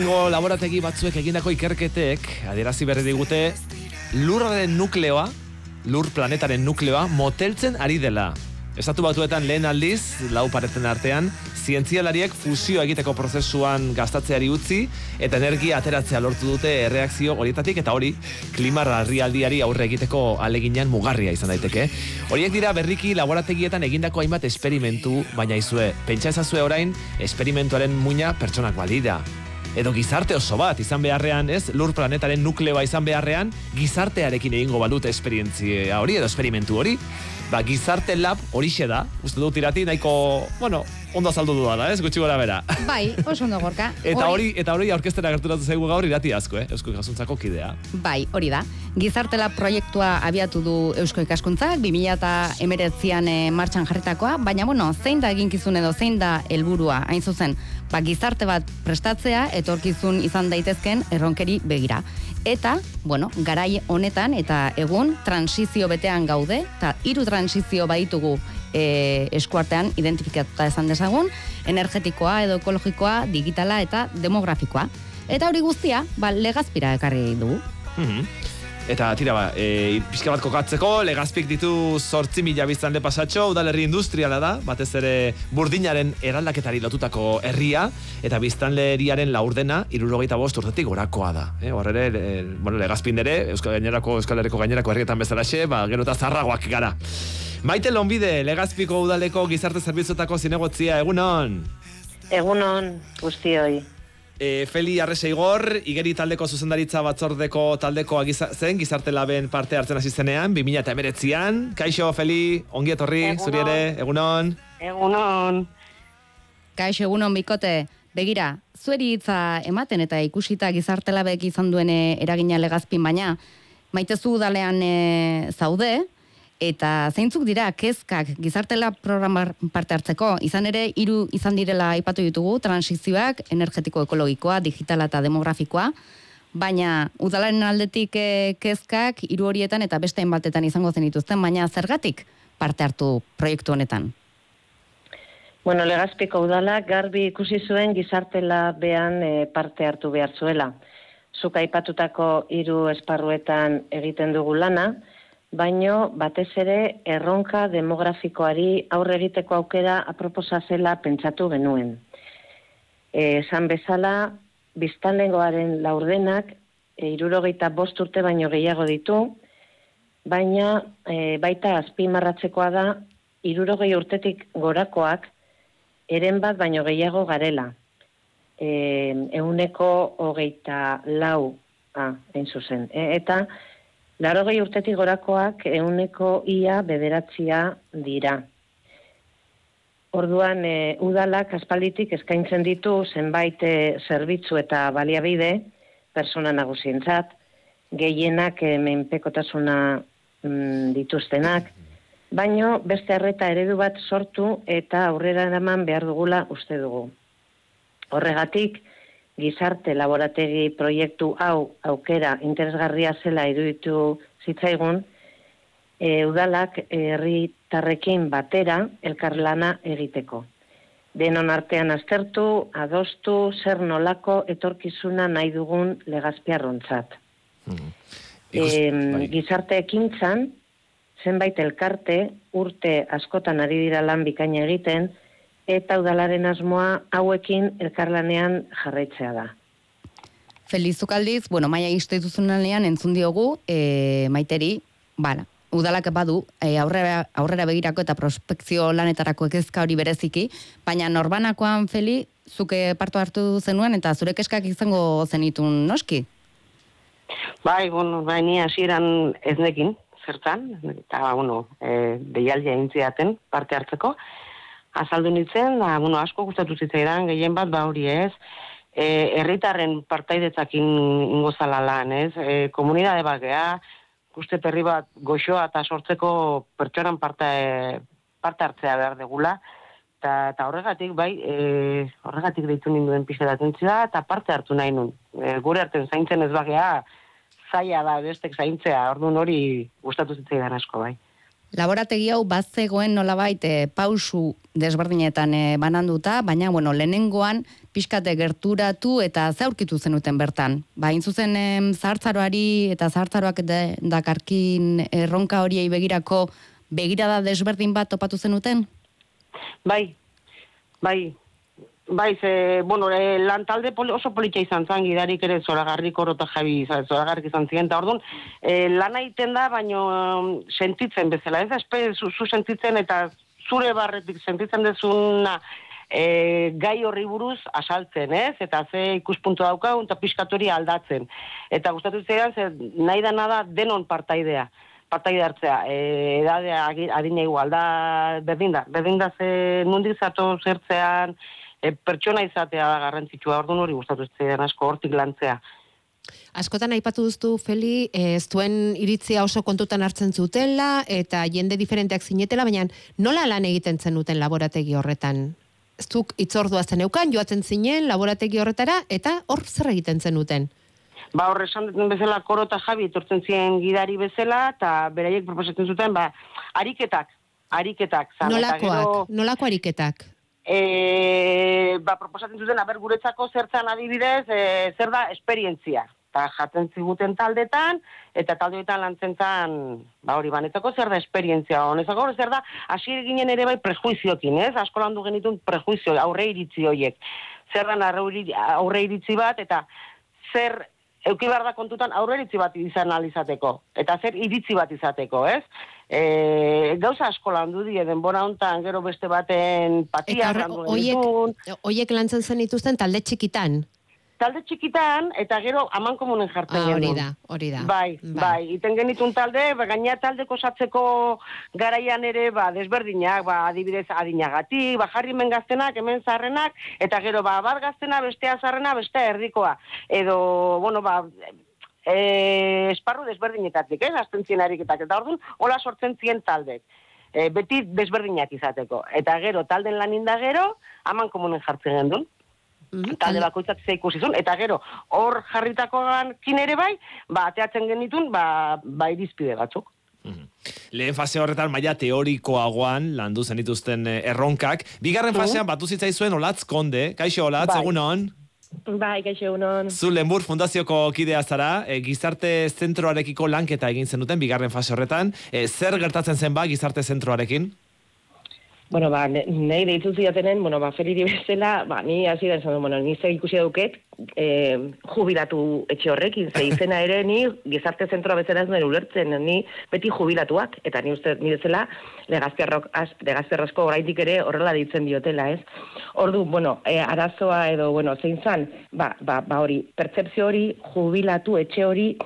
Lehenengo laborategi batzuek egindako ikerketek adierazi berri digute lurraren nukleoa, lur planetaren nukleoa moteltzen ari dela. Estatu Batuetan lehen aldiz, lau pareten artean, zientzialariek fusio egiteko prozesuan gastatzeari utzi eta energia ateratzea lortu dute erreakzio horietatik, eta hori klima larrialdiari aurre egiteko aleginean mugarria izan daiteke. Horiek dira berriki laborategietan egindako hainbat esperimentu, baina izue, pentsa ezazue orain, esperimentuaren muina pertsonak balira. Edo gizarte oso bat izan beharrean, ez? Lur planetaren nukleoa izan beharrean, gizartearekin egingo balute esperientzia hori edo esperimentu hori. Gizarte lab horixe da, uste dut irati, nahiko, ondo azaldu dudala, ez? Gutxi gora bera. Bai, oso ondo gorka. Eta hori aurkeztera gerturatu zaigu gaur irati asko, Eusko Ikaskuntzako kidea. Bai, hori da. Gizarte lab proiektua abiatu du Eusko Ikaskuntzak, 2019an martxan jarritakoa, baina, zein da eginkizun edo zein da helburua hain zuzen, gizarte bat prestatzea, etorkizun izan daitezken erronkeri begira. Eta, garai honetan eta egun transizio betean gaude, eta 3 transizio baditugu eskuartean identifikatuta esan dezagun, energetikoa edo ekologikoa, digitala eta demografikoa. Eta hori guztia, Legazpira ekarri dugu. Eta tira pixka bat kokatzeko, Legazpik ditu 8.000 biztanle pasatxo, udalerri industriala da, batez ere burdinaren eraldaketari lotutako herria, eta biztanleriaren laurdena 75 urtetik gorakoa da. Hor ere, Legazpin ere, Euskal Herriko gainerako herrietan bezalaxe, gero eta zarragoak gara. Maite Lonbide, Legazpiko udaleko gizarte zerbitzuetako zinegotzia, egunon? Egunon, guztioi. Feli Arreseigor, Igeri taldeko zuzendaritza batzordeko taldekoa zen, gizarte laben parte hartzen hasi zenean, 2019an. Kaixo, Feli, ongi etorri, zuri ere, egunon? Egunon. Kaixo, egunon, bikote. Begira, zueri hitza ematen eta ikusita gizarte labek izan duen eragina Legazpin, baina maitezu udalean zaude, eta zeintzuk dira kezkak gizartela programa parte hartzeko, izan ere 3 izan direla aipatu ditugu, transizioak, energetiko ekologikoa, digitala eta demografikoa, baina udalaren aldetik kezkak 3 horietan eta beste batetan izango zenituzten, baina zergatik parte hartu proiektu honetan? Legazpiko udalak garbi ikusi zuen gizartela behan parte hartu behar zuela. Zuk aipatutako 3 esparruetan egiten dugu lana, baino batez ere erronka demografikoari aurre egiteko aukera aproposa zela pentsatu genuen. Esan bezala, biztanlegoaren laurdenak 75 urte baino gehiago ditu, baina baita azpimarratzekoa da 60 urtetik gorakoak eren bat baino gehiago garela. 124 hain zuzen. Eta 80 urtetik gorakoak 9% dira. Orduan, udalak aspalditik eskaintzen ditu zenbait zerbitzu eta baliabide persona nagusientzat, gehienak menpekotasuna dituztenak, baino beste arreta eredu bat sortu eta aurrera eraman behar dugula uste dugu. Horregatik, gizarte laborategi proiektu hau aukera interesgarria zela iruditu zitzaigun, udalak herritarrekin batera elkarlana egiteko. Denon artean aztertu, adostu, zer nolako etorkizuna nahi dugun Legazpiarrontzat. Gizarte ekintzan, zenbait elkarte urte askotan ari dira lan bikaina egiten, eta udalaren asmoa hauekin elkarlanean jarraitzea da. Felizuk aldiz, maia instituzionalean entzun diogu, Maiteri, udalak badu, aurrera begirako eta prospekzio lanetarako kezka hori bereziki, baina norbanakoan, Feli, zuke parto hartu zenuen eta zure kezkak izango zenitun noski? Ni hasieran ez nekin, zertan, eta, deialdia intziaten parte hartzeko, azaldu nintzen, asko gustatu zitzaidan, gehien bat, hori ez, herritarren partaidetzakin ingozala lan, ez, komunidade bat geha, uste perri bat goxoa eta sortzeko pertsonan parte hartzea behar degula, eta horregatik, horregatik deitu ninduen pixka atentzioa, eta parte hartu nahi nun. Gure arten zaintzen ez bagea, zaila da bestek zaintzea, orduan hori gustatu zitzaidan asko, bai. Laborategi hau bazegoen nolabait pausu desberdinetan bananduta, baina lehenengoan pixkate gerturatu eta ze aurkitu zenuten bertan. Ba, hain zuzen zahartzaroari eta zahartzaroak dakarkin erronka horiei begirako begirada desberdin bat topatu zenuten? Bai, lantalde oso politxa izan zen, gidarik ere Zoragarri Koro eta Javi Zoragarrik izan ziren, eta orduan, lana egiten da, baino sentitzen bezala, ez zu sentitzen eta zure barretik sentitzen dezuna gai horri buruz asaltzen, ez? Eta ze ikuspuntu daukagun eta pixkatori aldatzen. Eta gustatu zidan, nahi da nada denon partaide hartzea, edadea adina igual da, berdin da ze nundik zato zertzean, pertsona izatea da garrantzitsua, orduan hori gustatu zidan asko hortik lantzea. Askotan aipatu duztu, Feli, zuen iritzia oso kontutan hartzen zutela, eta jende diferenteak zinetela, baina nola lan egiten zenuten laborategi horretan? Zuk itzordua zeneukan, joatzen zinen laborategi horretara, eta hor zer egiten zenuten? Ba, hor esan duten bezala Koro eta Javi etortzen ziren gidari bezala, eta beraiek proposatzen zuten, ariketak. Nolako ariketak? Proposatzen zuten, guretzako zertzan adibidez, zer da esperientzia. Eta jaten ziguten taldetan, eta taldeetan lantzen zan, banetzako zer da esperientzia. Honezako zer da, hasi ginen ere bai prejuiziokin, ez? Asko landu genitun prejuizio, aurre iritzi horiek. Zer da aurre iritzi bat, eta zer euki behar da kontutan aurre iritzi bat izan alizateko. Eta zer iritzi bat izateko, ez? Gauza asko landu die denbora hontan, gero beste baten patia landu genitun. Oiek lantzen zen dituzten talde txikitan? Talde txikitan, eta gero amankomunen jartzen genuen. Hori da. Bai, iten genitun talde, gaina taldeko osatzeko garaian ere, desberdinak, adibidez adinagatik, jarrimen gaztenak, hemen zarrenak, eta gero bat gaztena, bestea zarrena, bestea erdikoa. Edo, esparru desberdinetatik, azten zien ariketak, eta orduan, hola sortzen zien taldek. Beti desberdinak izateko. Eta gero, talden lanin da gero, amankomunen jartzen genuen. Talde bakoitzak ze ikusizun, eta gero, hor jarritakoan ere bai, ateatzen genitun, irizpide batzuk. Lehen fase horretan maila teorikoagoan landu zenituzten erronkak. Bigarren fasean batu zitzaizuen Olatz Konde. Kaixo Olatz, egunon? Bai, kaixo egunon. Zu Lenbur Fundazioko kidea zara, gizarte zentroarekiko lanketa egin zenuten bigarren fase horretan. Zer gertatzen zen gizarte zentroarekin? Nahi deitu zidatenen, Feliri bezala, ni hasi da esan du, ni zer ikusi duket, jubilatu etxe horrekin, ze izena ere ni gizarte zentroa bezala ez nuen ulertzen, ni beti jubilatuak, eta ni uste ni bezala legazperrasko oraindik ere horrela deitzen diotela, ez? Ordu, arazoa edo, zein zan, hori, pertzepzio hori, jubilatu etxe hori,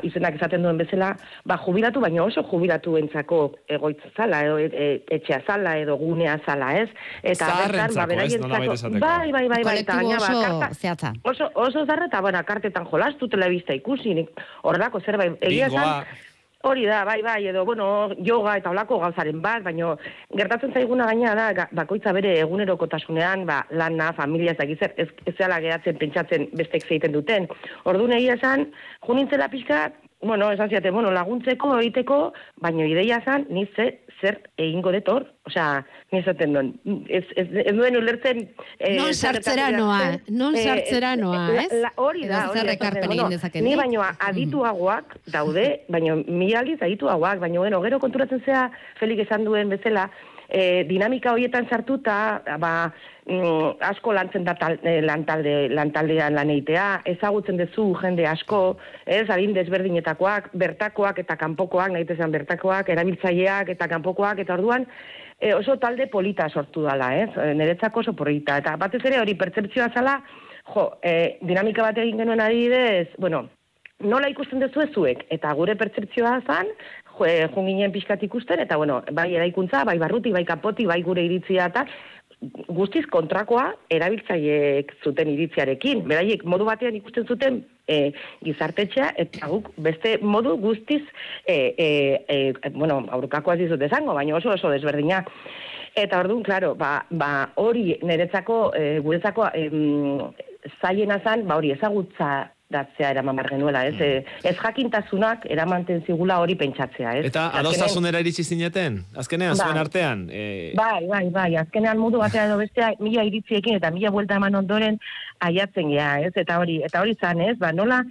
izenak esaten duen bezala, jubilatu, baina oso jubilatuentzako egoitza zala, etxea zala, edo gunea zala, ez? Zaharrentzako, ez, nolabait esateko. Bai. Kolektibo oso zehatza. Oso zarra, eta kartetan jolastu, telebista ikusi, horrelako zerbait. Egia esan, hori da, bai, edo, yoga eta olako gauzaren bat, baina gertatzen zaiguna gaina da, bakoitza bere egunerokotasunean, lana, familia, ez zela geratzen pentsatzen bestek zeiten duten. Orduan egia esan, junintzela pixka, esan ziaten, laguntzeko, egiteko, baina ideia esan, ni zer egingo detor, ni esaten duen, ez duen ulertzen... Non sartzera noa, ez? Hori da, ni baino adituagoak daude, baino mila aldiz adituagoak, baino gero konturatzen zea, Felik esan duen bezala, dinamika horietan sartuta, asko lantzen da lantaldean lan egitea, ezagutzen dezu jende asko, adin desberdinetakoak, bertakoak eta kanpokoak, nahi tezan bertakoak, erabiltzaileak eta kanpokoak, eta orduan oso talde polita sortu dala, niretzako oso polita. Eta batez ere hori pertzepzioa zala, dinamika bat egin genuen adibidez, nola ikusten dezu zuek, eta gure pertzepzioa zan, junginen pixkat ikusten, eta bai eraikuntza, bai barruti, bai kapoti, bai gure iritzia eta guztiz kontrakoa erabiltzaileek zuten iritziarekin. Beraiek modu batean ikusten zuten gizartetxea, eta guk beste modu guztiz, aurkakoa dizut esango, baina oso desberdina. Eta orduan, klaro, hori niretzako, guretzako zailena zan, hori ezagutza datzea eraman behar genuela, ez? Ez jakintasunak eramanten zigula hori pentsatzea, ez? Eta adostasunera iritsi zineten? Azkenean, zuen artean? Bai, azkenean modu batea edo bestea, 1000 iritziekin eta 1000 buelta eman ondoren aiatzen gea, ez? Eta hori zan, ez? Nola,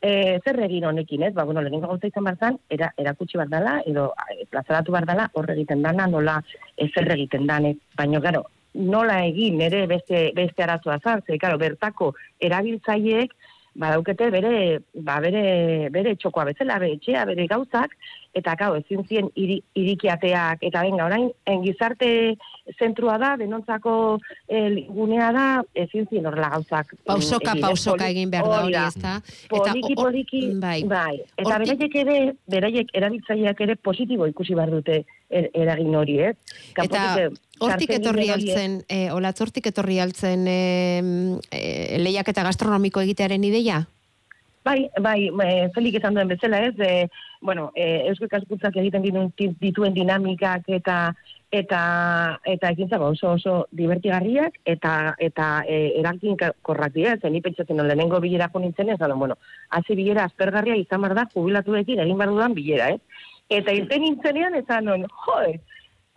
zer egin honekin, ez? Lehenengo gauza izan barzan, erakutsi bat dela, edo plazaratu bat dela, horre egiten dana, nola zer egiten dan, baina, gero, nola egin ere beste arazoa zan, bertako erabiltzaileek badaukete bere txokoa bezala, bere etxea, bere gauzak, eta ezin zien irikiateak, eta benga, orain, gizarte zentrua da, denontzako gunea da, ezin zien horrela gauzak. Pausoka egin behar da hori, ez da? Poliki, bai. Eta beraiek erabiltzaileak ere positibo ikusi behar dute eragin hori, ez? Eta hortik etorri altzen lehiaketa gastronomiko egitearen ideia? Bai, Felik esan duen bezala, ez? Eusko Ikaskuntzak egiten dituen dinamikak eta ekintza oso divertigarriak eta eraginkorrak dira, ni pentsatzen lehenengo bilera jo nintzen, hasi bilera aspergarria izan behar da jubilatuekin egin behar dudan bilera, ez? Eta irten nintzenean esan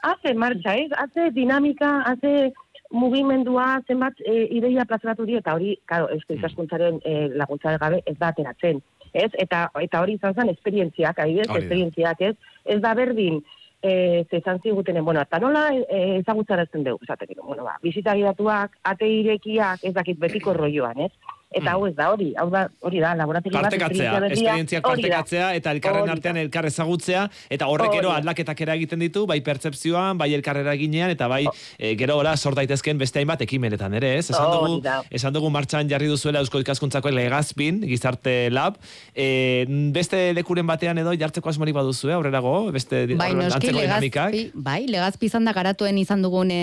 hace marcha, ez? Hace dinamika, hace mugimendua, zenbat ideia plazaratu dira, eta hori, Eusko Ikaskuntzaren laguntza gabe ez da ateratzen, ez? Eta hori izan zen esperientziak, esperientziak, ez? Ez da berdin, zezan zigutenen, eta nola ezagutzarazen dugu, bizita gidatuak, ate irekiak, ez dakit betiko rolloan, ez? Eta hau ez da hori da, laborategi bat, esperientziak partekatzea, eta elkarren artean elkar ezagutzea, eta horrek gero aldaketak eragiten ditu, bai pertzepzioan, bai elkarrera ginean, eta bai gero ora sort daitezken beste hainbat ekimenetan ere, ez? Esan dugu martxan jarri duzuela Eusko Ikaskuntzako Legazpin, Gizarte Lab, beste lekuren batean edo jartzeko asmorik baduzue, aurrerago, beste antzeko dinamikak? Bai, Legazpi izan da garatuen izan dugun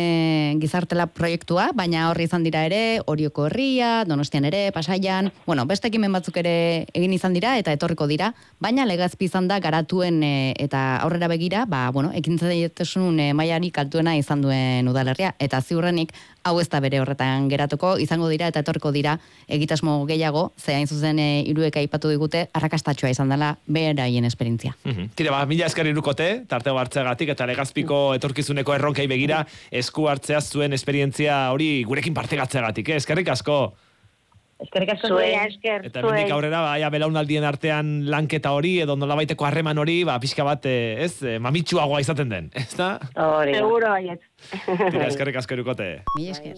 Gizarte Lab proiektua, baina horri izan dira ere, Orioko Herria, Donostian ere, Pasaian, beste ekimen batzuk ere egin izan dira eta etorriko dira, baina Legazpi izan da garatuen eta aurrera begira, ekintzailetasun mailarik altuena izan duen udalerria, eta ziurrenik hau ez da bere horretan geratuko, izango dira eta etorriko dira egitasmo gehiago, ze hain zuzen hiruek aipatu digute, arrakastatxoa izan dela beraien esperientzia. Tira, mila esker irukote, tartego hartzeagatik, eta Legazpiko etorkizuneko erronkei begira esku hartzea zuen esperientzia hori gurekin partegatzeagatik, eskerrik asko. Eskerrik asko esker. Eta hemendik aurrera, belaunaldien artean lanketa hori, edo nolabaiteko harreman hori, pixka bat, mamitsuagoa izaten den, ez da? Seguro baiet. Eskerrik asko irukote. Mila esker.